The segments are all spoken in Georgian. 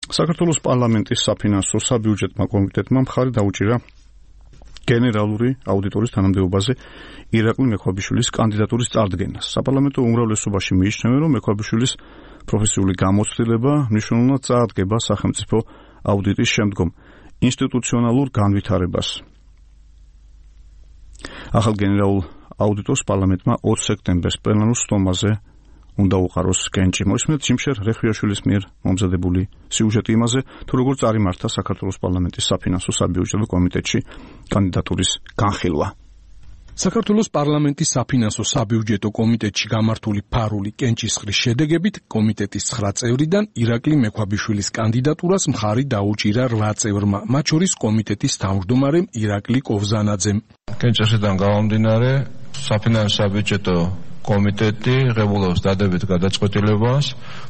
საქართველოს პარლამენტის საფინანსო საბიუჯეტო კომიტეტმა მხარი დაუჭირა გენერალური აუდიტორის თანამდებობაზე ირაკლი მექვაბიშვილის კანდიდატურის წარდგენას. საპარლამენტო უმრავლესობაში მიიჩნევენ, რომ მექვაბიშვილის პროფესიული გამოცდილება მნიშვნელოვნად წაადგება სახელმწიფო აუდიტის შემდგომ ინსტიტუციონალურ განვითარებას. ახალ გენერალურ აუდიტორს პარლამენტმა 20 სექტემბერს პლენარულ სტომაზე უნდა უყაროს კენჭი. მოისმენთ ჯიმშერ რეხვიაშვილის მიერ მომზადებული სიუჟეტი იმაზე, თუ როგორ წარიმართა საქართველოს პარლამენტის საფინანსო საბიუჯეტო კომიტეტში კანდიდატურის განხილვა. საქართველოს პარლამენტის საფინანსო საბიუჯეტო კომიტეტში გამართული ფარული კენჭისყრის შედეგებით კომიტეტის 9 წევრიდან ირაკლი მექვაბიშვილის კანდიდატურას მხარი დაუჭირა 8 წევრმა, მათ შორის კომიტეტის თავმჯდომარემ ირაკლი კოვზანაძემ. კენჭისყრიდან გამომდინარე, საფინანსო საბიუჯეტო კომიტეტი ღებულობს დადებით გადაწყვეტილებას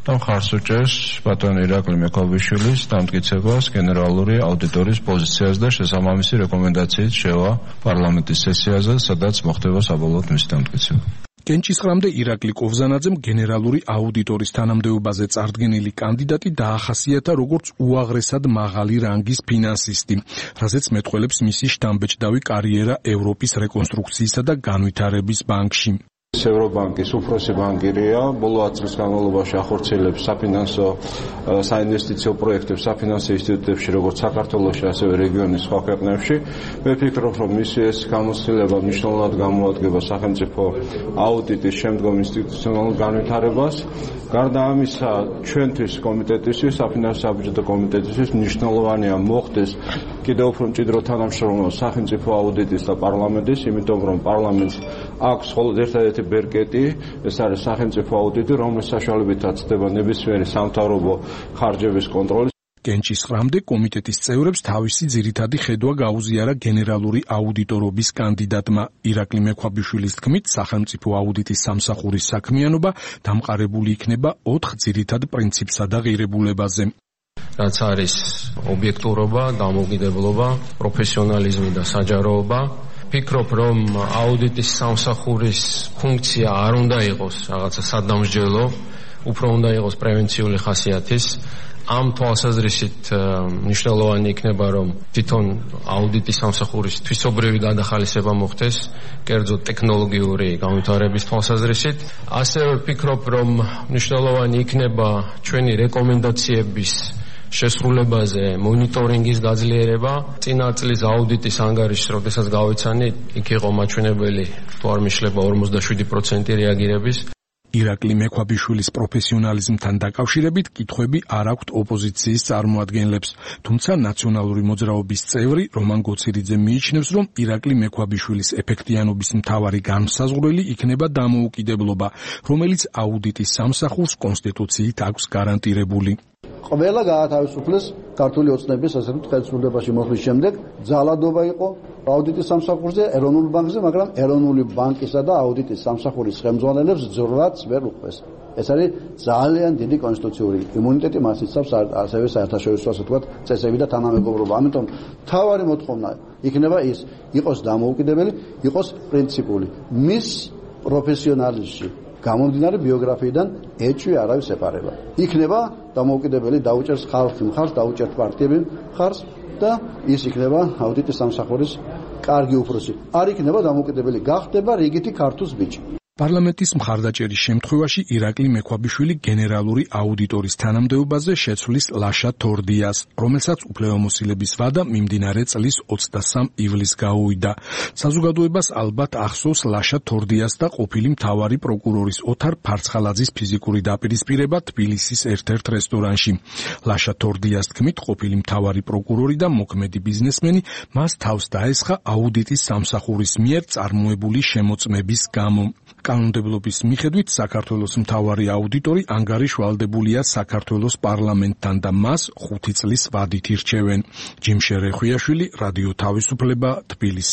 და მხარს უჭერს ბატონ ირაკლი მექვაბიშვილის დამტკიცებას გენერალური აუდიტორის პოზიციას და შესაბამისი რეკომენდაციით შევა პარლამენტის სესიაზე, სადაც მოხდება საბოლოოდ მისი დამტკიცება. კენჭისყრამდე ირაკლი კოვზანაძემ გენერალური აუდიტორის თანამდებობაზე წარდგენილი კანდიდატი დაახასიათა როგორც უაღრესად მაღალი რანგის ფინანსისტი, რაზეც მეტყველებს მისი შთამბეჭდავი კარიერა ევროპის რეკონსტრუქციისა და განვითარების ბანკში. ევრობანკის უფროსი ბანკირია, ბოლო 10 წლის განმავლობაში ახორციელებს საფინანსო საინვესტიციო პროექტებს საფინანსო ინსტიტუტებში, როგორც საქართველოში, ასევე რეგიონის სხვა ქვეყნებში. მე ვფიქრობ, რომ მისი ეს გამოცდილება მნიშვნელოვნად გამოადგება სახელმწიფო აუდიტის შემდგომ ინსტიტუციონალურ განვითარებას. გარდა ამისა, ჩვენთვის კომიტეტისთვის, საფინანსო საბიუჯეტო კომიტეტისთვის მნიშვნელოვანია მოხდეს კიდევ უფრო მჭიდრო თანამშრომლობა სახელმწიფო აუდიტის და პარლამენტის, იმიტომ რომ პარლამენტს აქვს მხოლოდ ერთადერთი ბერკეტი, ეს არის სახელმწიფო აუდიტი, რომლის საშუალებითაც ხდება ნებისმიერი სამთავრობო ხარჯების კონტროლი. კენჭისყრამდე კომიტეტის წევრებს თავისი ძირითადი ხედვა გაუზიარა გენერალური აუდიტორობის კანდიდატმა. ირაკლი მექვაბიშვილის თქმით, სახელმწიფო აუდიტის სამსახურის საქმიანობა დამყარებული იქნება 4 ძირითად პრინციპსა და ღირებულებაზე. რაც არის ობიექტურობა, დამოუკიდებლობა, პროფესიონალიზმი და საჯაროობა. ფიქრობ, რომ აუდიტის სამსახურის ფუნქცია არ უნდა იყოს რაღაცა სადამსჯელო, უფრო უნდა იყოს პრევენციული ხასიათის. ამ თვალსაზრისით მნიშვნელოვანი იქნება, რომ თვითონ აუდიტის სამსახურის თვისობრივი გადახალისება მოხდეს, კერძოდ ტექნოლოგიური განვითარების თვალსაზრისით. ასევე ვფიქრობ, რომ მნიშვნელოვანი იქნება ჩვენი რეკომენდაციების შესრულებაზე მონიტორინგის გაძლიერება. წინა წლის აუდიტის ანგარიშს, როდესაც გავიცანი, იქ იყო მაჩვენებელი, თუ არ მიშლება 47% რეაგირების. ირაკლი მექვაბიშვილის პროფესიონალიზმთან დაკავშირებით კითხვები არ აქვთ ოპოზიციის წარმოადგენლებს, თუმცა ნაციონალური მოძრაობის წევრი რომან გოცირიძე მიიჩნევს, რომ ირაკლი მექვაბიშვილის ეფექტიანობის მთავარი განმსაზღვრელი იქნება დამოუკიდებლობა, რომელიც აუდიტის სამსახურს კონსტიტუციით აქვს გარანტირებული. ყველა გაათავისუფლეს ქართული ოცნების ასე ვთქვათ ხელისუფლებაში მოსვლის შემდეგ ძალადობა იყო აუდიტის სამსახურზე, ეროვნულ ბანკზე, მაგრამ ეროვნული ბანკისა და აუდიტის სამსახურის ხელმძღვანელებს ძვრაც ვერ უყვეს. ეს არის ძალიან დიდი კონსტიტუციური იმუნიტეტი, მას იცავს ასევე საერთაშორისო ასე ვთქვათ წესები და თანამეგობრობა. ამიტომ მთავარი მოთხოვნა იქნება ის, იყოს დამოუკიდებელი, იყოს პრინციპული. მის პროფესიონალიზმში გამომდინარე ბიოგრაფიიდან ეჭვი არავის ეპარება. იქნება დამოუკიდებელი, დაუჭერს ხალხი მხარს, დაუჭერთ პარტიები მხარს და ის იქნება აუდიტის სამსახურის კარგი უფროსი. არ იქნება დამოუკიდებელი, გახდება რიგითი ქართუს ბიჭი. პარლამენტის მხარდაჭერის შემთხვევაში ირაკლი მექვაბიშვილი გენერალური აუდიტორის თანამდებობაზე შეცვლის ლაშა თორდიას, რომელსაც უფლებამოსილების ვადა მიმდინარე წლის 23 ივლისს გაუვიდა. საზოგადოებას ალბათ ახსოვს ლაშა თორდიას და ყოფილი მთავარი პროკურორის ოთარ ფარცხალაძის ფიზიკური დაპირისპირება თბილისის ერთ-ერთ რესტორანში. ლაშა თორდიას თქმით, ყოფილი მთავარი პროკურორი და მოქმედი ბიზნესმენი მას თავს დაესხა აუდიტის სამსახურის მიერ წარმოებული შემოწმების გამო. კანონმდებლობის მიხედვით საქართველოს მთავარი აუდიტორი ანგარიშვალდებულია საქართველოს პარლამენტთან და მას 5 წლის ვადით ირჩევენ. ჯიმშერ რეხვიაშვილი, რადიო თავისუფლება, თბილისი.